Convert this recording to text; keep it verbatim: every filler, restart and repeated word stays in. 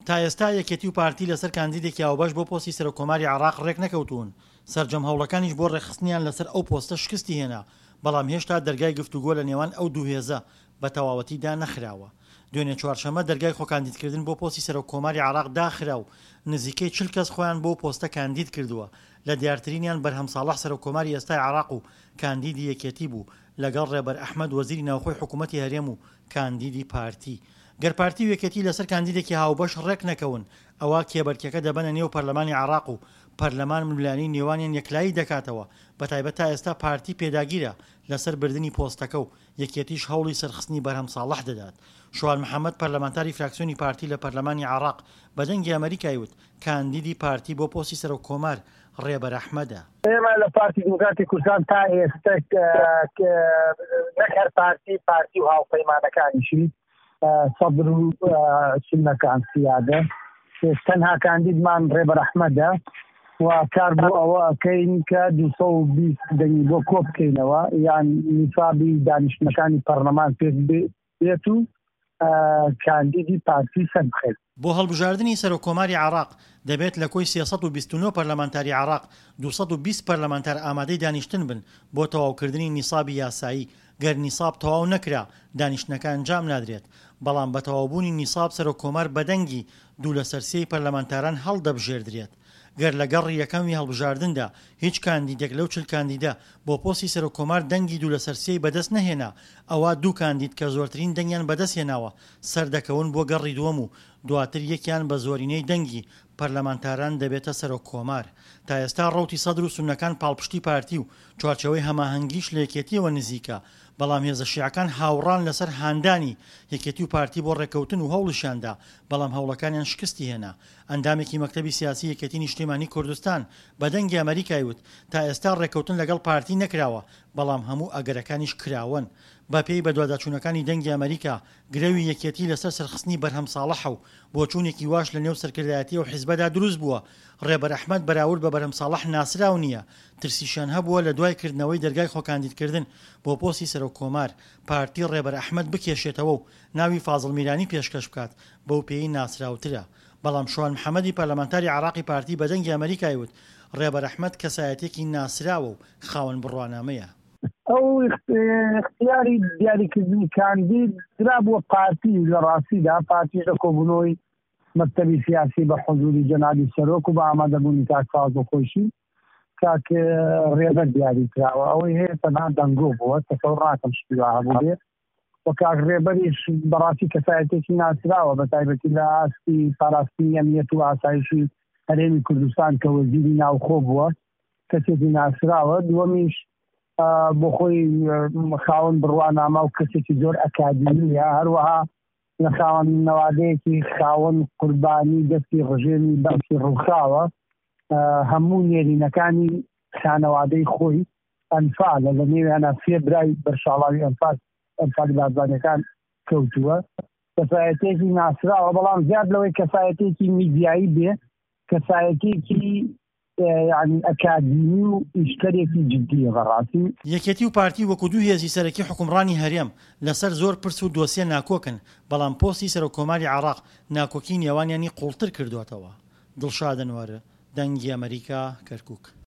تا ئێستا یەکێتی و پارتی لەسەر کاندیدێکی هاوبەش بۆ پۆستی سەرۆککۆماری عێراق ڕێکنەکەوتوون، سەرجەم هەوڵەکانیش بۆ ڕێکخستنیان لەسەر ئەو پۆستە شکستی هێنا، بەڵام هێشتا دەرگای گفتوگۆ لە نێوان ئەو دوو هێزە بە تەواوەتی دانەخراوە. دوێنێ چوارشەممە دەرگای خۆکاندیدکردن بۆ پۆستی سەرۆککۆماری عێراق داخرا و نزیکەی چل کەس خۆیان بۆ پۆستە کاندید کردووە، لە دیارترینیان بەرهەم ساڵح سەرۆککۆماری ئێستای عێراق و کاندیدی یەکێتی بوو لەگەڵ ڕێبەر ئەحمەد وەزیری ناوخۆی حکوومەتی هەرێم و کاندیدی پارتی. گەر پارتی و یەکێتی لەسەر کاندیدێکی هاوبەش ڕێکنەکەون، ئەوا کێبەرکێکە دەبەنە نێو پەرلەمانی عێراق و پەرلەمان ململانێی نێوانیان یەکلایی دەکاتەوە، بەتایبەت تا ئێستا پارتی پێداگیرە لەسەر بردنی پۆستەکە و یەکێتیش هەوڵی سەرخستنی بەرهەم ساڵح دەدات. شوان محەمەد پەرلەمانتاری فراکسیۆنی پارتی لە پەرلەمانی عێراق بە دەنگی ئەمەریکای وت، کاندیدی پارتی بۆ پۆستی سەرۆک کۆمار ڕێبەر ئەحمەدە. ئێمە لە پارتی دیموکراتی کوردستان تا ئێستا نەک هەر پارتی، پارتی و هاوپەیمانەکانیشی سەدر و سوننەکان سیادە، تەنها کاندیدمان ڕێبەر ئەحمەدە و کار بۆ ئەوە ئەکەین کە دوو سەد و بیست دەنگی بۆ کۆ بکەینەوە یان نیسابی دانیشتنەکانی پەرلەمان پێک بێت و کاندیدی پارتی سەر بخەین. بۆ هەڵبژاردنی سەرۆککۆماری عێراق دەبێت لە کۆی سێ سەد و بیست و نۆ پەرلەمانتاری عێراق دوو سەد و بیست پەرلەمانتار ئامادەی دانیشتن بن بۆ تەواوکردنی نیسابی یاسایی، گەر نیساب تەواو نەکرا دانیشتنەکە ئەنجام نادرێت، بەڵام بە تەواوبوونی نیساب سەرۆککۆمار بە دەنگی دوو لەسەر سێی پەرلەمانتاران هەڵدەبژێردرێت. گەر لە گەڕی یەکەمی هەڵبژاردندا هیچ کاندیدێک لەو چل کاندیدە بۆ پۆستی سەرۆککۆمار دەنگی دوو لەسەر سێی بەدەست نەهێنا ئەوا دوو کاندید کە زۆرترین دەنگیان بەدەست هێناوە سەردەکەون بۆ گەڕی دووەم و دواتر یەکیان بە زۆرینەی دەنگی پەرلەمانتاران دەبێتە سەرۆککۆمار. تا ئێستا ڕەوتی سەدر و سوننەکان پاڵپشتی پارتی و چوارچێوەی هەماهەنگیش لە یەکێتییەوە نزیکە، بەڵام هێزە شیعەکان هاوڕان لەسەر هاندانی یەکێتی و پارتی بۆ ڕێککەوتن و هەوڵیشیاندا، بەڵام هەوڵەکانیان شکستی هێنا. ئەندامێکی مەکتەبی سیاسی یەکێتی نیشتیمانی کوردستان بە دەنگی ئەمەریکای وت، تا ئێستا ڕێککەوتن لەگەڵ پارتی نەکراوە، بەڵام هەموو ئەگەرەکانیش کراوەن. بەپێی بەدواداچوونەکانی دەنگی ئەمەریکا، گرەوی یەکێتی لەسەر سەرخستنی بەرهەم ساڵحە و بۆچوونێکی واش لەنێو سەرکردایەتی ئەو حیزبەدا دروست بووە، ڕێبەر ئەحمەد بەراورد بە بەرهەم ساڵح ناسراو نییە، ترسیشیان هەبووە لە دوای کردنەوەی دەرگای خۆکاندیدکردن بۆ پۆستی سەرۆک کۆمار، پارتی ڕێبەر ئەحمەد بکێشێتەوە و ناوی فازڵ میرانی پێشکەش بکات، بەو پێیەی ناسراوترە. بەڵام شوان محەمەدی پەرلەمانتاری عێراقی پارتی بە دەنگی ئەمەریکای وت، ڕێبەر ئەحمەد کەسایەتیەکی ناسراوە و خاوەن بڕوانامەیە. ئەو اختیاری دیاریکردنی کاندید درابووە پارتی، لە ڕاستیدا پارتیش لە کۆبوونەوەی مەکتەبی سیاسی بە حزوری جەنابی سەرۆک و بە ئامادەبوونی کاک فازڵ خۆشی کاک ڕێبەر دیاری کراوە. ئەوەی هەیە تەنها دەنگۆ بووە، تەسەور ناکەم شتی وا هەبوو بێ. و کاک ڕێبەریش بەڕاستی کەسایەتێکی ناسراوە، بە تایبەتی لە ئاستی پاراستنی ئەمنیەت و ئاسایشی هەرێمی کوردستان کە وەزیری ناوخۆ بووە، کەسێکی ناسراوە. دووەمیش بۆ خۆی خاوەن بڕوانامە و کەسێکی زۆر ئەکادیمیە، هەروەها لە خاوەن نەوادەیەکی خاوەن قوربانی دەستی ڕژێمی بەعسی ڕووخاوە، هەموو نێرینەکانی خانەوادەی خۆی ئەنفالە، لە نێویانە سێ برای بەرشاڵاوی ئەنفال ئەنفالی بارزانیەکان کەوتووە. کەسایەتێکی ناسراوە، بەڵام زیاد لەوەی کەسایەتێکی میدیایی بێ، کەسایەتێکی یعنی ئەکادیمی و ئیشکەرێکی جدیە بەڕاستی. یەکێتی و پارتی وەکو دوو هێزی سەرەکی حوکمڕانی هەرێم لەسەر زۆر پرس و دۆسیە ناکۆکن، بەڵام پۆستی سەرۆککۆماری عێراق ناکۆکی نێوانیانی قوڵتر کردووەتەوە. دڵشاد ئەنوەر، دەنگی ئەمەریکا، کەرکوک.